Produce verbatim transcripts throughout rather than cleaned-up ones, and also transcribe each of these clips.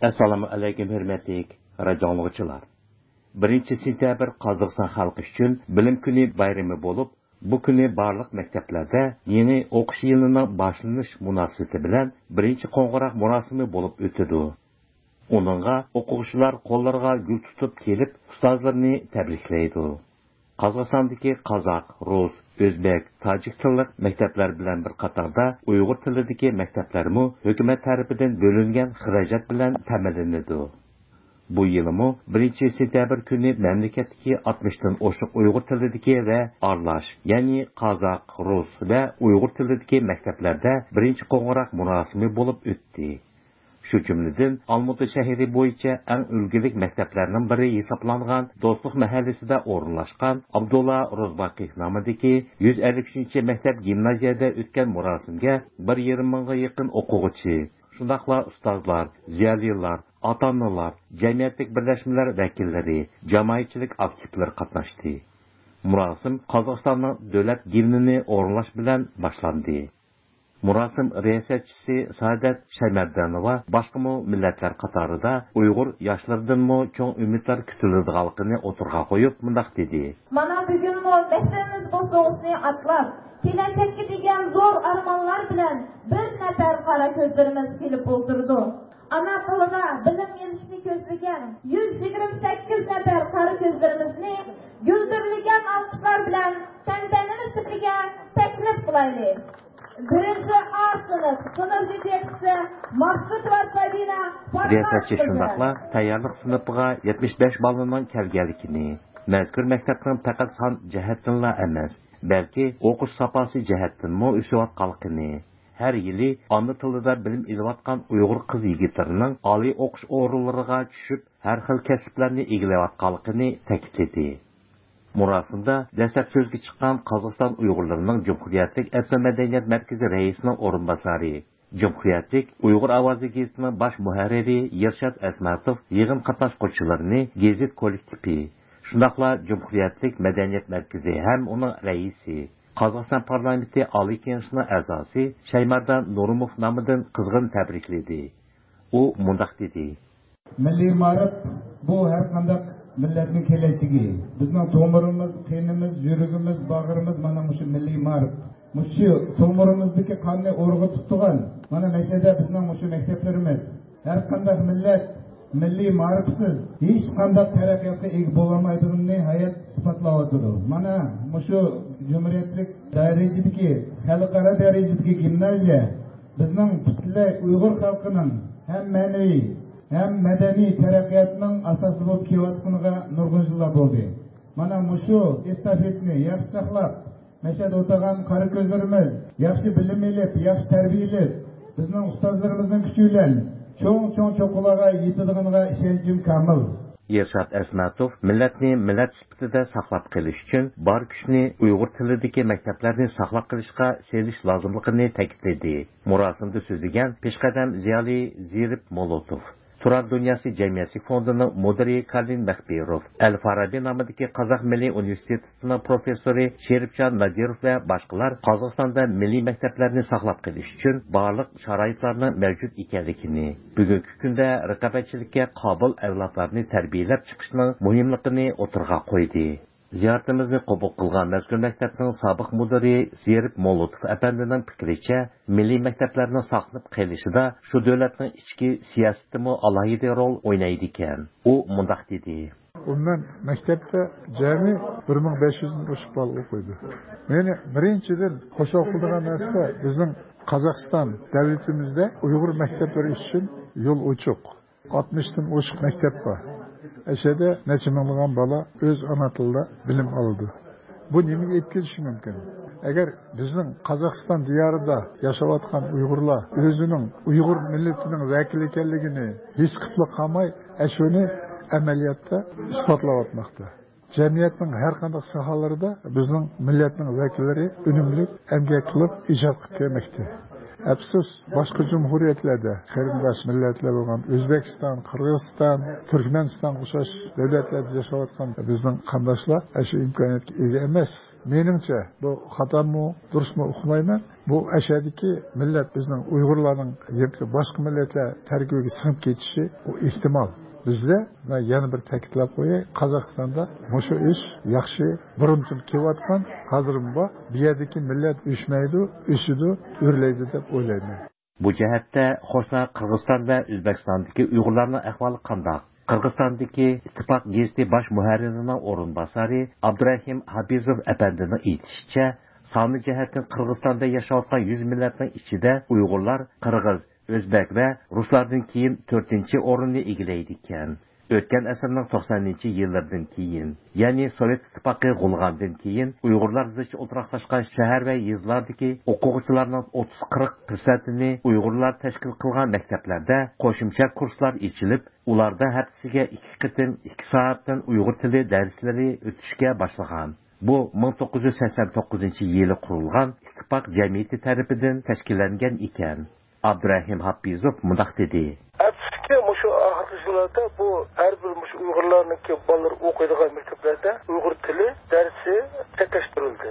ئەسسالامۇ ئەلەيكۇم، ھۆرمەتلىك رادىئو ئاڭلىغۇچىلار. بىرىنچى سېنتەبىر قازاقىستان خەلقى ئۈچۈن بىلىم كۈنى بايرىمى بولۇپ، بۇ كۈنى بارلىق مەكتەپلەردە يېڭى ئوقۇش يىلىنىڭ باشلىنىش مۇناسىۋىتى بىلەن بىرىنچى قوڭغۇراق مۇراسىمى بولۇپ ئۆتىدۇ. ئۇنىڭغا ئوقۇغۇچىلار قوللىرىغا گۈل تۇتۇپ كېلىپ، ئۇستازلىرىنى تەبرىكلەيدۇ. قازاقىستاندىكى قازاق، رۇس، ئۆزبېك، تاجىك تىللىق مەكتەپلەر بىلەن بىر قاتاردا ئۇيغۇر تىلىدىكى مەكتەپلەرمۇ ھۆكۈمەت تەرىپىدىن بۆلۈنگەن خىراجەت بىلەن تەمىنلىنىدۇ. بۇ يىلىمۇ بىرىنچى سېنتەبىر كۈنى مەملىكەتتىكى ئاتمىشتىن ئوشۇق ئۇيغۇر تىلىدىكى ۋە ئارىلاش، يەنى قازاق، رۇس ۋە ئۇيغۇر تىلىدىكى مەكتەپلەردە بىرىنچى قوڭغۇراق مۇراسىمى بولۇپ ئۆتتى. شۇ جۈملىدىن ئالمۇتا شەھىرى بويىچە ئەڭ ئۈلگىلىك مەكتەپلەرنىڭ بىرى ھېسابلانغان دوستلۇق مەھەللىسىدە ئورۇنلاشقان ئابدۇللا روزباقىيېف نامىدىكى يۈز ئەللىك ئۈچىنچى مەكتەپ گىمنازىيەدە ئۆتكەن مۇراسىمگە بىر يېرىم مىڭغا يېقىن ئوقۇغۇچى، شۇنداقلا ئۇستازلار، زىيالىيلار، ئاتا-ئانىلار، جەمئىيەتلىك بىرلەشمىلەر ۋەكىللىرى، جامائەتچىلىك ئاكتىپلىرى قاتناشتى. مۇراسىم قازاقىستاننىڭ دۆلەت گىمنىنى ئورۇنلاش بىلەن باشلاندى. مۇراسىم رىياسەتچىسى سائادەت شايمەردانوۋا باشقىمۇ مىللەتلەر قاتارىدا ئۇيغۇر ياشلىرىدىنمۇ چوڭ ئۈمىدلەر كۈتۈلىدىغانلىقىنى ئوتتۇرىغا قويۇپ، مۇنداق دېدى. مانا بۈگۈنمۇ مەكتىۋىمىز بوسۇغىسىنى ئاتلاپ، كېلەچەككە دېگەن زور ئارمانلار بىلەن بىر نەپەر قارا كۆزلىرىمىز كېلىپ ئولتۇرىدۇ. ئانا تىلىدا بىلىم ئېلىشنى كۆزلىگەن يۈز يىگىرمە سەككىز نەپەر قارا كۆزلىرىمىزنى گۈلدۈرلىگەن ئالقىشلار بىلەن تەنتەنىلىك تۆپىگە تەكلىپ قىلايلى. بىرىنچى ئا سىنىپ، سىنىپ يېتەكچىسى ماقسۇتوۋا سابىنا پارساس رىياسەتچى قىزى. شۇنداقلا تەييارلىق سىنىپىغا يەتمىش بەش بالىنىڭ كەلگەنلىكىنى، مەزكۇر مەكتەپنىڭ پەقەت سان جەھەتتىنلا ئەمەس، بەلكى ئوقۇش ساپاسى جەھەتتىنمۇ ئۆسۈۋاتقانلىقىنى، ھەر يىلى ئانا تىلىدا بىلىم ئېلىۋاتقان ئۇيغۇر قىز-يىگىتلىرىنىڭ ئالىي ئوقۇش ئورۇنلىرىغا چۈشۈپ، ھەر خىل كەسىپلەرنى ئىگىلەۋاتقانلىقىنى تەكىتلىدى. مۇراسىمدا دەسلەپ سۆزگە چىققان قازاقىستان ئۇيغۇرلىرىنىڭ جۇمھۇرىيەتلىك ئېتنو مەدەنىيەت مەركىزى رەئىسىنىڭ ئورۇنباسارى، جۇمھۇرىيەتلىك ئۇيغۇر ئاۋازى گېزىتىنىڭ باش مۇھەررىرى يىرشات ئەسمەتوف يىغىن قاتناشقۇچىلىرىنى گېزىت كوللېكتىپى، شۇنداقلا جۇمھۇرىيەتلىك مەدەنىيەت مەركىزى ھەم ئۇنىڭ رەئىسى، قازاقىستان پارلامېنتى ئالىي كېڭىشىنىڭ ئەزاسى شايماردان نۇرۇموف نامىدىن قىزغىن تەبرىكلىدى. ئۇ مۇنداق دېدى. مىللىي مائارىپ بۇ ھەر قانداق مىللەتنىڭ كېلەچىكى. بىزنىڭ تومۇرىمىز، قېنىمىز، يۈرىكىمىز، باغرىمىز مانا مۇشۇ مىللىي مائارىپ. مۇشۇ تومۇرىمىزدىكى قاننى ئۇرغۇتۇپ تۇرغان مانا مەشەدە بىزنىڭ مۇشۇ مەكتەپلىرىمىز. ھەر قانداق مىللەت مىللىي مائارىپسىز ھېچقانداق تەرەققىياتقا ئىگە بولالمايدىغىنىنى ھايات ئىسپاتلاۋاتىدۇ. مانا مۇشۇ جۇمھۇرىيەتلىك دەرىجىدىكى، خەلقئارا دەرىجىدىكى گىمنازىيە بىزنىڭ پۈتۈنلەي ئۇيغۇر خەلقىنىڭ ھەم مەنىۋى، ھەم مەدەنىي تەرەققىياتىنىڭ ئاساسى بولۇپ كېلىۋاتقىنىغا نۇرغۇن يىللار بولدى. مانا مۇشۇ ئېستافېتىنى ياخشى ساقلاپ، مەشەدە ئولتۇرغان قارا كۆزلىرىمىز ياخشى بىلىم ئېلىپ، ياخشى تەربىيە ئېلىپ، بىزنىڭ ئۇستازلىرىمىزنىڭ كۈچى بىلەن چوڭ-چوڭ چوققىلارغا يېتىدىغىنىغا ئىشەنچىم كامىل. ئىرشات ئەسمەتوف مىللەتنى مىللەت سۈپىتىدە ساقلاپ قېلىش ئۈچۈن بار كۈچنى ئۇيغۇر تىلىدىكى مەكتەپلەرنى ساقلاپ قېلىشقا سېلىش لازىملىقىنى تەكىتلىدى. مۇراسىمدا سۆزلىگەن پېشقەدەم زىيالىي زېرىپ مولوتوف، تۇران دۇنياسى جەمئىيەتچىلىك فوندىنىڭ مۇدىرى كارلىن مەخپىروف، ئەل فارابى نامىدىكى قازاق مىللىي ئۇنىۋېرسىتېتىنىڭ پروفېسسورى شېرىپجان نادىروف ۋە باشقىلار قازاقىستاندا مىللىي مەكتەپلەرنى ساقلاپ قېلىش ئۈچۈن بارلىق شارائىتلارنىڭ مەۋجۇت ئىكەنلىكىنى، بۈگۈنكى كۈندە رىقابەتچىلىككە قابىل ئەۋلادلارنى تەربىيەلەپ چىقىشنىڭ مۇھىملىقىنى ئوتتۇرىغا قويدى. زىيارىتىمىزنى قوبۇل قىلغان مەزكۇر مەكتەپنىڭ سابىق مۇدىرى زېرىپ مولوتوف ئەپەندىنىڭ پىكرىچە، مىللىي مەكتەپلەرنىڭ ساقلىنىپ قېلىشىدا شۇ دۆلەتنىڭ ئىچكى سىياسىتىمۇ ئالاھىدە رول ئوينايدىكەن. ئۇ مۇنداق دېدى. ئومۇمەن مەكتەپتە جەمئىي بىر مىڭ بەش يۈزدىن ئوشۇق بالا ئوقۇيدۇ. مېنى بىرىنچىدىن خۇشال قىلىدىغان نەرسە، بىزنىڭ قازاقىستان دۆلىتىمىزدە ئۇيغۇر مەكتەپلىرى ئۈچۈن يول ئوچۇق. ئاتمىشتىن ئوشۇق مەكتەپ بار. ئەشەدە نەچچە مىڭلىغان بالا ئۆز ئانا تىلىدا بىلىم ئالىدۇ. بۇ نېمىگە ئېلىپ كېلىشى مۇمكىن؟ ئەگەر بىزنىڭ قازاقىستان دىيارىدا ياشاۋاتقان ئۇيغۇرلار ئۆزىنىڭ ئۇيغۇر مىللىتىنىڭ ۋەكىلى ئىكەنلىكىنى ھېس قىلىپلا قالماي، ئەشۇنى ئەمەلىيەتتە ئىسپاتلاۋاتماقتا. جەمئىيەتنىڭ ھەر قانداق ساھەلىرىدە بىزنىڭ مىللەتنىڭ ۋەكىللىرى ئۈنۈملۈك ئەمگەك قىلىپ ئىجاد قىلىپ كەلمەكتە. ئەپسۇس، باشقا جۇمھۇرىيەتلەردە قېرىنداش مىللەتلەر بولغان ئۆزبېكىستان، قىرغىزىستان، تۈركمەنىستانغا ئوخشاش دۆلەتلەردە ياشاۋاتقان بىزنىڭ قانداشلار ئاشۇ ئىمكانىيەتكە ئىگە ئەمەس. مېنىڭچە، بۇ خاتامۇ، دۇرۇسمۇ ئۇقمايمەن. بۇ ئەشەدىكى مىللەت، بىزنىڭ ئۇيغۇرلارنىڭ ياكى باشقا مىللەتلەر تەركىبىگە سىڭىپ كېتىشى، ئۇ ئېھتىمال. بىزدە، مەن يەنە بىر تەكىتلەپ قوياي، قازاقىستاندا مۇشۇ ئىش ياخشى، بۇرۇندىن كېلىۋاتقان، ھازىرمۇ بار. بۇ يەردىكى مىللەت ئۆچمەيدۇ، ئۆسىدۇ، ئۆرلەيدۇ دەپ ئويلايمەن. بۇ جەھەتتە قوشنا قىرغىزىستان ۋە ئۆزبېكىستاندىكى ئۇيغۇرلارنىڭ ئەھۋالى قانداق؟ قىرغىزىستاندىكى ئىتتىپاق گېزىتى باش مۇھەررىرىنىڭ ئورۇنباسارى ئابدۇراھىم ھاپىزوف ئەپەندىنىڭ ئېيتىشىچە، سانى جەھەتتىن قىرغىزىستاندا ياشاۋاتقان يۈز مىللەتنىڭ ئىچىدە ئۇيغۇرلار قىرغىز، ئۆزبەك ۋە رۇسلاردىن كېيىن تۆتىنچى ئورۇننى ئىگىلەيدىكەن. ئۆتكەن ئەسىرنىڭ توقسانىنچى يىللىرىدىن كېيىن، يەنى سوۋېت ئىتتىپاقى غۇلىغاندىن كېيىن، ئۇيغۇرلار زىچ ئولتۇراقلاشقان شەھەر ۋە يېزىلاردىكى ئوقۇغۇچىلارنىڭ ئوتتۇز قىرىق پىرسەنتىنى ئۇيغۇرلار تەشكىل قىلغان مەكتەپلەردە قوشۇمچە كۇرسلار ئېچىلىپ، ئۇلاردا ھەپتىسىگە ئىككى قېتىم ئىككى سائەتتىن ئۇيغۇر تىلى دەرسلىرى ئۆتۈشكە باشلىغان. بۇ مىڭ توققۇز يۈز سەكسەن توققۇزىنچى يىلى قۇرۇلغان ئىتتىپاق جەمئىيىتى تەرىپىدىن تەشكىللەنگەن ئىكەن. ئابدۇراھىم ھاپىزوف مۇنداق دېدى. ئەپسۇسكى، مۇشۇ ئاخىرقى يىللاردا بۇ ھەر بىر مۇشۇ ئۇيغۇرلارنىڭكى بالىلىرى ئوقۇيدىغان مەكتەپلەردە ئۇيغۇر تىلى دەرسى چەكلەشتۈرۈلدى.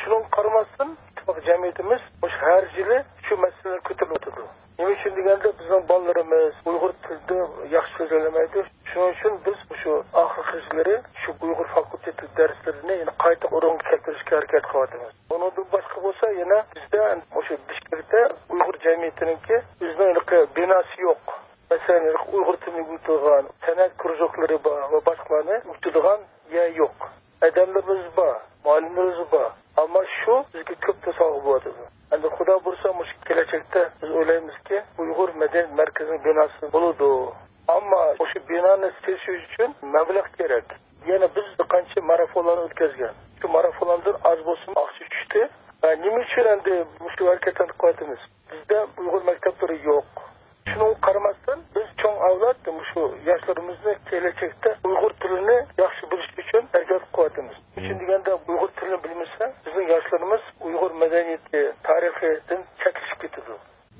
شۇنىڭغا قارىماستىن، ئىتتىپاق جەمئىيىتىمىز مۇشۇ ھەر يىلى شۇ مەسىلىلەر كۆتۈرۈلۈۋاتىدۇ. نېمە ئۈچۈن دېگەندە، بىزنىڭ بالىلىرىمىز ئۇيغۇر تىلىدا ياخشى سۆزلىيەلمەيدۇ. شۇنىڭ ئۈچۈن بىز مۇشۇ ئاخىرقى يىللىرى شۇ ئۇيغۇر فاكۇلتېتى دەرسلىرىنى يەنە قايتا ئورۇنغا كەلتۈرۈشكە ھەرىكەت قىلىۋاتىمىز. ئۇنىڭدىن باشقا بولسا، يەنە بىزدە مۇشۇ بىشكېكتە ئۇيغۇر جەمئىيىتىنىڭكى ئۆزىنىڭ ھېلىقى بىناسى يوق. مەسىلەن، ھېلىقى ئۇيغۇر تىلىنى ئۆگىتىدىغان سەنئەت كرۇژوكلىرى بار ۋە باشقىلارنى ئۆگىتىدىغان يەر يوق. ئادەملىرىمىز بار، مۇئەللىملىرىمىز بار. ئەمما شۇ بىزگە كۆپ توسالغۇ بولۇۋاتىدۇ. ئەمدى خۇدا بۇيرۇسا، مۇشۇ كېلەچەكتە بىز ئويلايمىزكى، ئۇيغۇر مەدەنىيەت مەركىزىنىڭ بىناسى بولىدۇ. ئەمما مۇشۇ بىنانى سېلىش ئۈچۈن مەبلەغ كېرەك. يەنە بىز بىر قانچە مارافونلارنى ئۆتكۈزگەن. شۇ مارافونلاردىن ئاز بولسىمۇ ئاقچا چۈشتى. ۋە نېمە ئۈچۈن ئەمدى مۇشۇ ھەرىكەتلەرنى قىلىۋاتىمىز؟ بىزدە ئۇيغۇر مەكتەپلىرى يوق. شۇنىڭغا قارىماستىن، بىز چوڭ ئەۋلاد مۇشۇ ياشلىرىمىزنى كېلەچەكتە ئۇيغۇر تىلىنى ياخشى بىلىشى ئۈچۈن ھەرىكەت قىلىۋاتىمىز. نېمە ئۈچۈن دېگەندە، ئۇيغۇر تىلىنى بىلمىسە، بىزنىڭ ياشلىرىمىز ئۇيغۇر مەدەنىيىتى، تارىخىدىن چەتلىشىپ كېتىدۇ.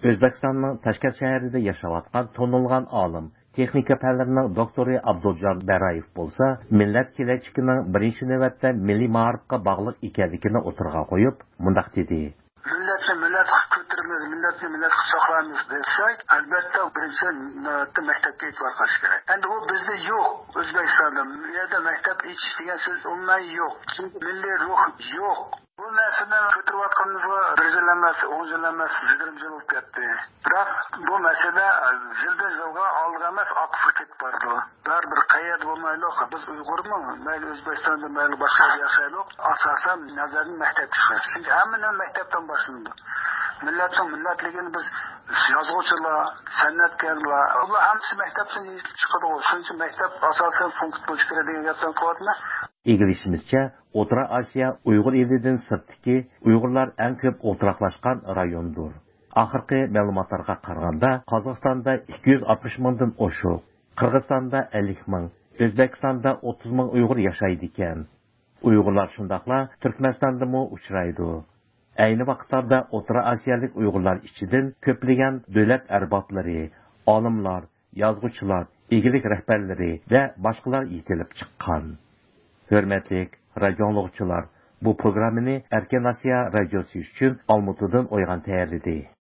ئۆزبېكىستاننىڭ تاشكەنت شەھىرىدە ياشاۋاتقان تونۇلغان ئالىم، تېخنىكا پەنلىرىنىڭ دوكتورى ئابدۇلجان بەرايېف بولسا، مىللەت كېلەچىكىنىڭ بىرىنچى نۆۋەتتە مىللىي مائارىپقا باغلىق ئىكەنلىكىنى ئوتتۇرىغا قويۇپ، مۇنداق دېدى. مىللەتنى مىللەت قىلىپ كۆتۈرىمىز، مىللەتنى مىللەت قىلىپ ساقلايمىز دېسەك، ئەلۋەتتە، بىرىنچى نۆۋەتتە مەكتەپكە ئېتىبار قىلىش كېرەك. ئەمدى ئۇ بىزدە يوق، ئۆزبېكىستاندا. بۇ يەردە مەكتەپ ئېچىش دېگەن سۆز ئومۇمەن يوق. چۈنكى مىللىي روھ يوق. بۇ مەسىلىنى كۆتۈرۈۋاتقىنىمىزغا بىر يىل ئەمەس، ئون يىل ئەمەس، يىگىرمە يىل بولۇپ كەتتى. بىراق بۇ مەسىلە يىلدىن يىلغا ئالدىغا ئەمەس، ئارقىسىغا كېتىپ بارىدۇ. بەرىبىر قەيەردە بولمايلۇق، بىز ئۇيغۇرمۇ، مەيلى ئۆزبېكىستاندا، مەيلى باشقا يەردە ياشايلۇق، ئاساسەن نەزەرنى مەكتەپكە چىقىرىش. چۈنكى ھەممە نېمە مەكتەپتىن باشلىنىدۇ. مىللەتنىڭ مىللەتلىكىنى بىز يازغۇچىلار، سەنئەتكارلار، ئۇلار ھەممىسى مەكتەپتىن يېتىلىپ چىقىدىغۇ. شۇنىڭ ئۈچۈن مەكتەپ ئاساسەن پونكىت بولۇشى كېرەك دېگەن گەپلەرنى قىلىۋاتىمەن. ئىگىلىشىمىزچە، ئوتتۇرا ئاسىيا ئۇيغۇر ئېلىدىن سىرتتىكى ئۇيغۇرلار ئەڭ كۆپ ئولتۇراقلاشقان رايوندۇر. ئاخىرقى مەلۇماتلارغا قارىغاندا، قازاقىستاندا ئىككى يۈز ئاتمىش مىڭدىن ئوشۇق، قىرغىزىستاندا ئەللىك مىڭ، ئۆزبېكىستاندا ئوتتۇز مىڭ ئۇيغۇر ياشايدىكەن. ئۇيغۇرلار شۇنداقلا تۈركمەنىستاندىمۇ ئۇچرايدۇ. ئەينى ۋاقىتلاردا ئوتتۇرا ئاسىيالىق ئۇيغۇرلار ئىچىدىن كۆپلىگەن دۆلەت ئەربابلىرى، ئالىملار، يازغۇچىلار، ئىگىلىك رەھبەرلىرى ۋە باشقىلار يېتىلىپ چىققان. ھۆرمەتلىك رادىيو ئاڭلىغۇچىلار، بۇ پروگراممىنى ئەركىن ئاسىيا رادىيوسى ئۈچۈن ئالمۇتىدىن ئويغان تەييارلىدى.